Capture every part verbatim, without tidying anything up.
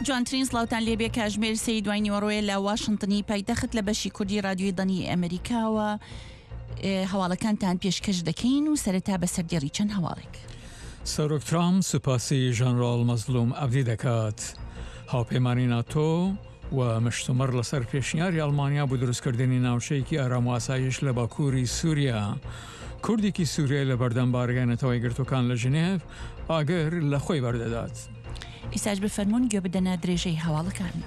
جوانترین سڵاوتان لێبێ. کاژمێر سێی دوای نیوەڕۆیە لە واشنتنی پایتەخت لە بەشی کوردی رادیۆی دەنگی ئەمریکاوە هەواڵەکانتان پێشکەش دەکەین و سەرەتا بە سەردێڕی چەند هەواڵێک. سەرۆک ترامپ سوپاسی ژەنراڵ مەزلوم عەبدی دەکات. هاوپەیمانی ناتۆ و مشتومڕ لەسەر پێشنیاری ئەڵمانیا بۆ دروستکردنی ناوچەیەکی ئارام و ئاسایش لە باکووری سووریا. کوردێکی سووریای لە بەردەم بارگای نەتەوە یەکگرتووەکان لە ژنێڤ ئاگر لە خۆی بەردەدات. ئیساش بفەرمونون گوێ بدەنە درێژەی هەواڵەکان.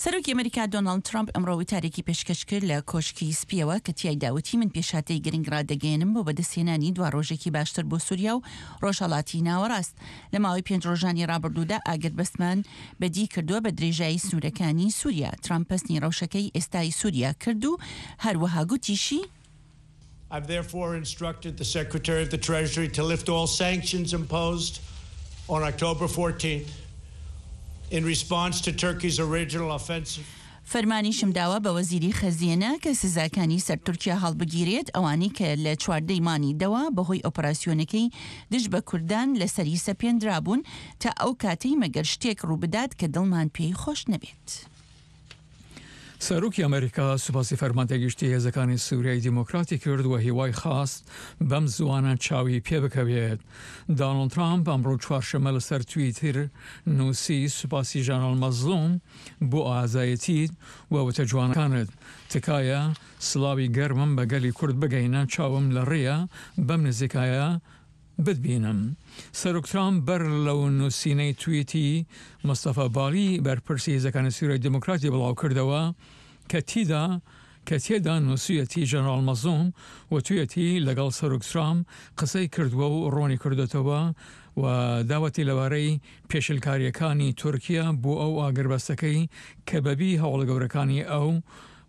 سەرۆکی ئەمریکا دۆناڵد ترامپ ئەمڕۆ وتارێکی پێشکەش کرد لە کۆشکی سپیەوە کە تیایدا وتی من پێشهاتەی گرنگ ڕادەگەیەنم بۆ بەدەستهێنانی دوا ڕۆژێکی باشتر بۆ سووریا و ڕۆژهەڵاتی ناوەڕاست. لە ماوەی پێنج ڕۆژانی ڕابردوودا ئاگربەستمان بەدی کردووە بە درێژایی سنوورەکانی سووریا. ترامپ پەسنی ڕەوشەکەی ئێستای سووریا کرد و هەروەها گوتیشی، I've therefore instructed the Secretary of the Treasury to lift all sanctions imposed on October fourteenth in response to Turkey's original offensive. فەرمانیشم داوە بە وەزیری خەزێنە کە سزاکانی سەر تورکیا هەڵبگیرێت، ئەوانەی کە لە چواردەی مانگی دەوە بەهۆی ئۆپەراسیۆنەکەی دژ بە کوردان لەسەری سەپێندرابوون، تا ئەو کاتەی مەگەر شتێک ڕووبدات کە دڵمان پێی خۆش نەبێت. سەرۆکی ئەمریکا سوپاسی فەرماندەی گشتی هێزەکانی سووریای دیموکراتی کرد و هیوای خواست بەم زووانە چاوی پێبکەوێت. دانۆڵد ترامپ ئەمڕۆ چوارشەممە لەسەر تویتر نووسی سوپاسی ژەنراڵ مەزڵوم بۆ ئازایەتیت و وتە جوانەکانت. تکایە سڵاوی گەرمم بە گەلی کورد بگەینە، چاوم لە ڕێیە بەم نزیکایە بتبینم. سەرۆک ترامپ بەر لەو نووسینەی تویتی مستەفا بالی بەرپرسی هێزەکانی سووریای دیموکراتی بڵاوکردەوە کە تیدا کە تێدا نووسویەتی ژەنراڵ مەزڵوم وتویەتی لەگەڵ سەرۆک ترامپ قسەی کردووە و ڕوونی کردۆتەوە و داوەتی لەبارەی پێشلکارییەکانی تورکیا بۆ ئەو ئاگربەستەکەی کە بەبی هەوڵە گەورەکانی ئەو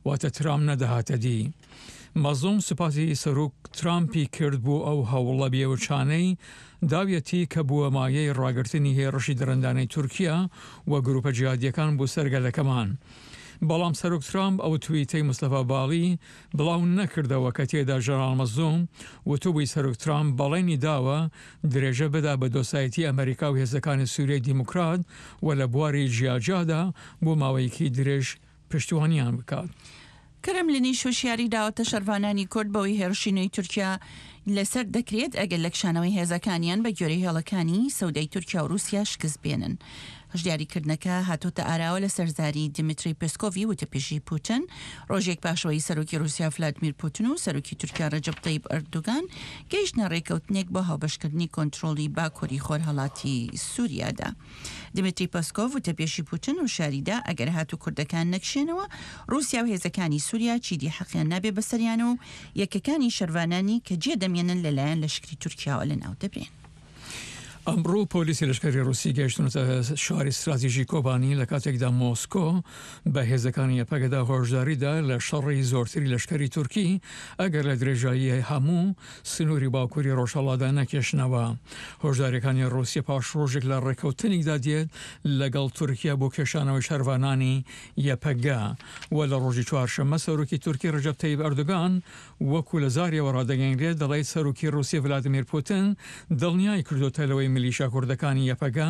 واتە ترامپ نەدەهاتە دی. مەزڵوم سوپاسی سەرۆک ترامپی کرد بۆ ئەو هەوڵە بێوچانەی داویەتی کە بووە مایەی ڕاگرتنی هێڕشی دڕندانەی تورکیا و گروپە جیهادیەکان بۆ سەر گەلەکەمان. بەڵام سەرۆک ترامپ ئەو تویتەی مستەفا باڵی بڵاو نەکردەوە کە تێدا ژەنراڵ مەزڵوم وتوبووی سەرۆک ترامپ بەڵێنی داوە درێژە بدا بە دۆستایەتی ئەمریکا و هێزەکانی سوریای دیموکرات و لە بواری جیاجیادا بۆ ماوەیەکی درێژ پشتیوانیان بکات. کرملینیش هۆشیاری داوەتە شەرڤانانی کورد بەوەی هێرشی نوێی تورکیا لەسەر دەکرێت ئەگەر لە کشانەوەی هێزەکانیان بە گوێرەی هێڵەکانی سەودای تورکیا و رووسیا شکست بێنن. هۆشداریکردنەکە هاتۆتە ئاراوە لەسەر زاری دیمیتری پێسکۆڤی وتەپێشی پوتن ڕۆژێک پاشەوەی سەرۆکی رووسیا ڤلادمیر پوتن و سەرۆکی تورکیا رەجەب تەیب ئەردۆگان گەیشتنە ڕێکەوتنێک بۆ هاوبەشکردنی کۆنترۆڵی باکووری خۆرهەڵاتی سووریادا. دیمیتری پێسکۆڤ وتەبێژی پوتن هۆشیاریدا ئەگەر هاتوو کوردەکان نەکشێنەوە، ڕووسیا و هێزەکانی سووریا چیدی حەقیان نابێ بەسەریانەوە و یەکەکانی شەرڤانانی کە جێ دەمێنن لەلایەن لەشکری تورکیاوە لەناو دەبرێن. ئەمڕۆ پۆلیسی لەشکری ڕووسی گەیشتونەتە شاری ستراتیژی کۆبانی لە کاتێکدا مۆسکۆ بە هێزەکانی یەپەگەدا هۆشداریدا لە شەڕی زۆرتری لەشکری تورکی ئەگەر لە درێژایی هەموو سنووری باکووری ڕۆژهەڵاتدا نەکێشنەوە. هۆشداریەکانی ڕووسیا پاش ڕۆژێک لە ڕێککەوتنێکدا دێت لەگەڵ تورکیا بۆ کێشانەوەی شەرڤانانی یەپەگە و لە ڕۆژی چوارشەممە سەرۆکی تورکی ڕەجەب تەیب ئەردۆگان وەکو لە زاریەوە ڕادەگەیەنرێت دەڵێت سەرۆکی ڕووسیا ڤلادیمیر پوتن دڵنیای کردوتە لەوەی میلیشیا کوردەکانی یەپەگە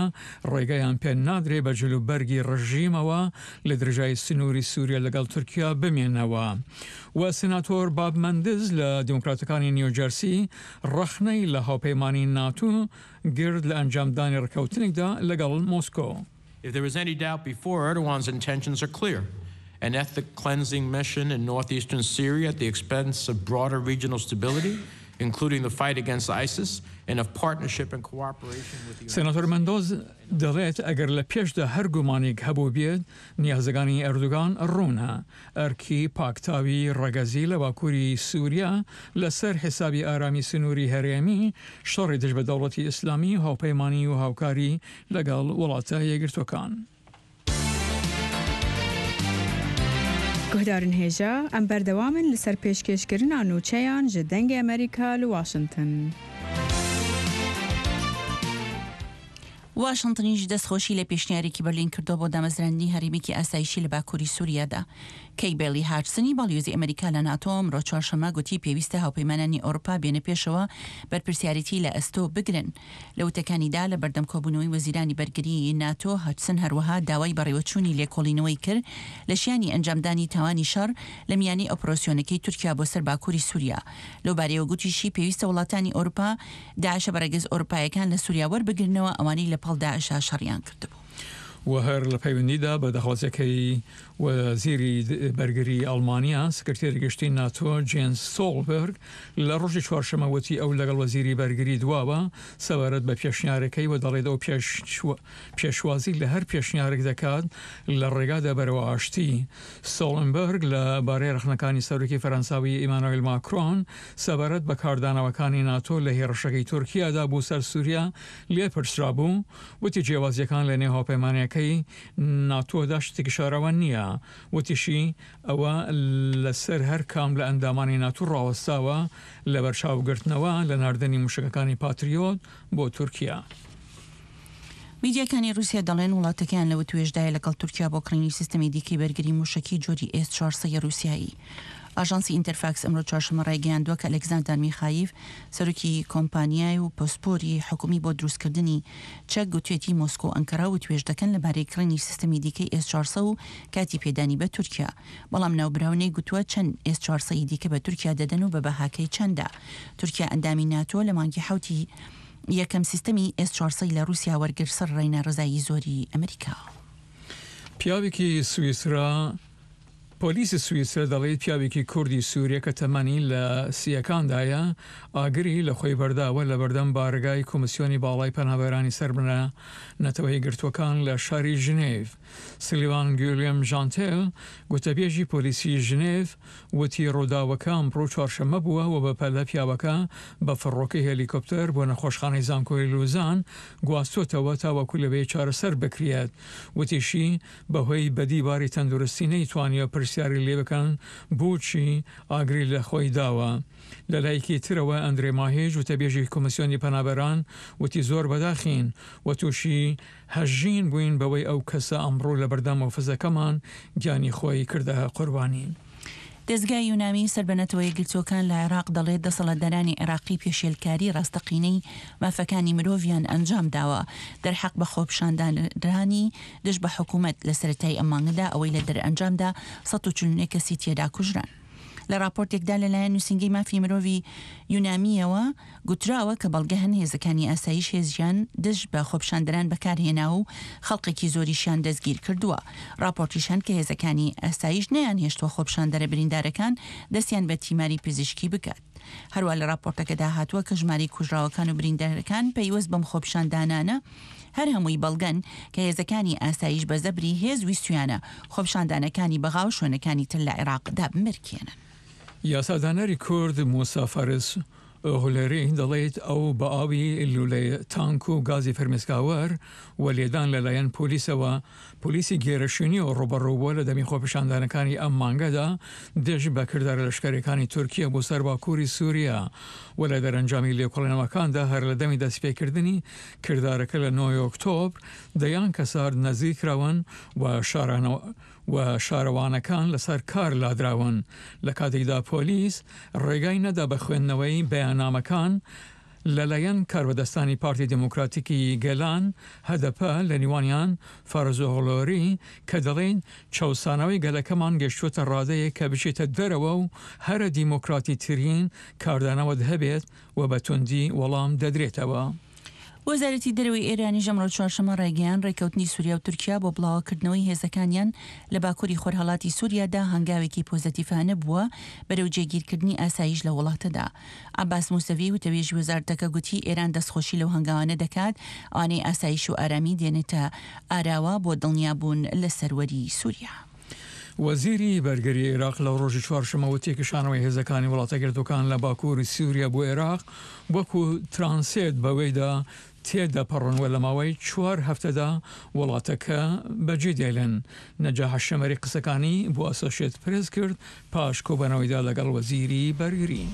ڕێگەیان پێ نادرێ بە جلوبەرگی ڕژیمەوە لە درێژایی سنووری سووریا لەگەڵ تورکیا بمێنەوە. و سناتۆر باب مەندز لە دیموکراتەکانی نیوجەرسی ڕەخنەی لە هاوپەیمانی ناتۆ گرت لە ئەنجامدانی ڕێککەوتنێکدا لەگەڵ مۆسکۆ. If there was any doubt before, Erdogan's intentions are clear. An ethnic cleansing mission in northeastern Syria at the expense of broader regional stability, including the fight against ISIS, and of partnership and cooperation with the سێناتۆر مەندۆز دەڵێت ئەگەر لە پێشدا هەر گومانێک هەبوو بێت نیازەکانی ئەردۆگان ڕوونە ئەرکی پاکتاوی ڕەگەزی لە باکووری سووریا لەسەر حیسابی ئارامی سنووری هەرێمی شەڕی دژ بە دەوڵەتی ئیسلامی و هاوپەیمانی و هاوکاری لەگەڵ وڵاتە یەکگرتووەکان. Guhdarên hêja em berdewam in li ser pêşkêşkirina nûçeyan ji Dengê Amerîka li Washington. واشنتنیش دەستخۆشی لە پێشنیارێکی بەرلین کردووە بۆ دامەزراندنی هەرێمێکی ئاسایشی لە باکووری سووریادا. کەی بێلی هاچسنی باڵیۆزی ئەمریکا لە ناتۆ ئەمڕۆ چوارشەممە گوتی پێویستە هاوپەیمانانی ئەوروپا بێنە پێشەوە بەرپرسیارێتی لە ئەستۆ بگرن. لە وتەکانیدا لە بەردەم کۆبوونەوەی وەزیرانی بەرگری ناتۆ، هاچسن هەروەها داوای بەڕێوەچوونی لێکۆڵینەوەی کرد لە شیانی ئەنجامدانی تاوانی شەڕ لە میانەی ئۆپراسیۆنەکەی تورکیا بۆ سەر باکووری سووریا. لەو بارەیەوە گوتیشی پێویستە وڵاتانی ئەوروپا داعشە بە ڕەگەز ئەوروپایەکان لە سووریا وەربگرنەوە، ئەوانەی لە پاڵ داعشا شەڕیان کردبوو. و هەر لە پەیوەندیدا بە داخوازیەکەی وەزیری بەرگری ئەڵمانیا، سکرتێری گشتی ناتۆ جێنس ستۆڵبرگ لە ڕۆژی چوارشەممە وتی ئەو لەگەڵ وەزیری بەرگری دواوە سەبارەت بە پێشنیارەکەی و دەڵێت ئەو پێشوازی لە هەر پێشنیارێک دەکات لە ڕێگادا بەرەوە ئاشتی. ستۆڵنبرگ لە بارەی ڕەخنەکانی سەرۆکی فەرەنساوی ئیمانوێل ماکرۆن سەبارەت بە کاردانەوەکانی ناتۆ لە هێرشەکەی تورکیادا بۆ سەر سووریا لێپرسرا بوو، وتی جیاوازیەکان لە نێو هاوپەیمانیەکەی ناتۆدا شتێکی شاراوە نییە. وتیشی ئەوە لەسەر هەر کام لە ئەندامانی ناتۆ ڕاوەستاوە لە بەرچاوگرتنەوە لە ناردنی موشەکەکانی پاتریۆت بۆ تورکیا. میدیاکانی رووسیا دەڵێن وڵاتەکەیان لە وتوێژدایە لەگەڵ تورکیا بۆ کڕینی سیستەمی دیکەی بەرگری موشەکی جۆری ئێس چوار سەد رووسیایی. ئاژانسی ئینتەرفاکس ئەمڕۆ چوارشەممە ڕایگەیاندووە کە ئەلێکزاندەر میخاییف سەرۆکی کۆمپانیای و پسپۆری حکومی بۆ دروستکردنی چەک گوتوێتی مۆسکۆ و ئەنکەرا وتوێژ دەکەن لەبارەی کڕینی سیستەمی دیکەی ئێس چوار سەد و کاتی پێدانی بە تورکیا، بەڵام ناوبراو نەیگوتووە چەند ئێس چوار سەد ی دیکە بە تورکیا دەدەن و بە بەهاکەی چەندە. تورکیا ئەندامی ناتۆ لە مانگی حەوتی یەکەم سیستەمی ئێس چوار سەد لە رووسیا وەرگر سەر ڕێی ناڕەزایی زۆری ئەمریکا. پیاوێکی سویسرا پۆلیسی سویسرا دەڵێت پیاوێکی کوردی سووریە کە تەمەنی لە سیەکاندایە ئاگری لە خۆی بەرداوە لە بەردەم بارگای کۆمیسیۆنی باڵای پەنابەرانی سەربنە نەتەوەی گرتووەکان لە شاری ژنێڤ. سلیوان گویلیەم ژانتێل گوتەبێژی پۆلیسی ژنێڤ وتی ڕووداوەکە ئەمڕۆ چوارشەممە بووە و بەپەلە پیاوەکە بە فڕۆکەی هێلیکۆپتەر بۆ نەخۆشخانەی زانکۆی لوزان گواستۆتەوە تاوەکو لەوێ چارەسەر بکرێت. وتیشی بەهۆی بەدی باری تەندروستی نەیتوانیوە پرسیاری لێ بکەن بۆچی ئاگری لە خۆی داوە. لە لایەکی ترەوە ئەندرێ ماهێژ وتەبێژی کۆمیسیۆنی پەنابەران وتی زۆر بەداخین و تووشی هەژین بووین بەوەی ئەو کەسە ئەمڕۆ لە بەردەم ئۆفیسەکەمان گیانی خۆی کردە قوربانی. دەزگای یونامی سەر بە نەتەوە یەکگرتووەکان لە عێراق دەڵێت دەسەڵاتدارانی عێراقی پێشێلکاری ڕاستەقینەی مافەکانی مرۆڤیان ئەنجام داوە دەرحەق بە خۆپیشاندانرانی دژ بە حکوومەت لە سەرەتای ئەم مانگەدا، ئەوەی لە دەرئەنجامدا سەد و چل و نۆ کەسی تێدا کوژران. لە راپۆرتێکدا لەلایەن نووسینگەی مافی مرۆڤی یونامیەوە گوتراوە کە بەڵگە هەن هێزەکانی ئاسایش هێزیان دژ بە خۆپیشاندەران بەکارهێنا و خەڵکێکی زۆریشیان دەستگیر کردووە. راپۆرتیش هەن کە هێزەکانی ئاسایش نەیان هێشتووە خۆپیشاندەرە بریندارەکان دەستیان بە تیماری پزیشکی بکات. هەروە لە راپۆرتەکەدا هاتووە کە ژمارەی کوژراوەکان و بریندارەکان پەیوەست بەم خۆپیشاندانانە هەر هەمووی بەڵگەن کە هێزەکانی ئاسایش بە زەبری هێز ویستویانە خۆپیشاندانەکانی بەغا و شوێنەکانی تر لە عێراق دابمرکێنن. یاسادانەری کورد موسا فارس ئۆغلەری دەڵێت ئەو بە ئاوی لولەی تانک و گازی فرمێسکاوەر و لێدان لەلایەن پۆلیسەوە پۆلیسی گێرەشوێنی و ڕووبەڕوو بووە لە دەمی خۆپیشاندانەکانی ئەم مانگەدا دژ بە کردارە لەشکەرەکانی تورکیا بۆ سەر باکووری سووریا و لە دەرەنجامی لێکۆڵینەوەکاندا هەر لە دەمی دەستپێکردنی کردارەکە لە نۆی ئۆکتۆبر دەیان کەسار نەزیر کراون و شارانەوە و شارەوانەکان لەسەر کار لادراون. لە کاتێکدا پۆلیس ڕێگای نەدا بە خوێندنەوەی بەیاننامەکان لەلایەن کاربەدەستانی پارتی دێموکراتیکی گەلان هەدەپە لە نێوانیان فارزۆغلۆری کە دەڵێن چەوسانەوەی گەلەکەمان گەشتووەتە ڕادەیەک کە بچێتە دەرەوە و هەرە دیموکراتی ترین کاردانەوەت هەبێت و بە توندی وەڵام دەدرێتەوە. وەزارەتی دەرەوەی ئێرانیش ئەمڕۆ چوارشەممە ڕایگەیاند ڕێککەوتنی سووریا و تورکیا بۆ بڵاوەکردنەوەی هێزەکانیان لە باکووری خۆرهەڵاتی سووریادا هەنگاوێکی پۆزەتیفانە بووە بەرەو جێگیرکردنی ئاسایش لە وڵاتەدا. عەباس موسەوی وتەبێژی وەزارەتەکە گوتی ئێران دەستخۆشی لەو هەنگاوانە دەکات ئەوانەی ئاسایش و ئارامی دێنێتە ئاراوە بۆ دڵنیابوون لە سەروەری سووریا. وەزیری بەرگری عێراق لە ڕۆژی چوارشەممە وتی کشانەوەی هێزەکانی وڵاتەگرتووەکان لە باکووری سووریا بۆ عێراق وەکو ترانسێت بەوەیدا تێدەپەڕن و لە ماوەی چوار هەفتەدا وڵاتەکە بەجێ دێلن. نەجاح شەمەری قسەکانی بۆ ئەسۆشێت پرێس کرد پاش کۆبەنەوەیدا لەگەڵ وەزیری بەرگری.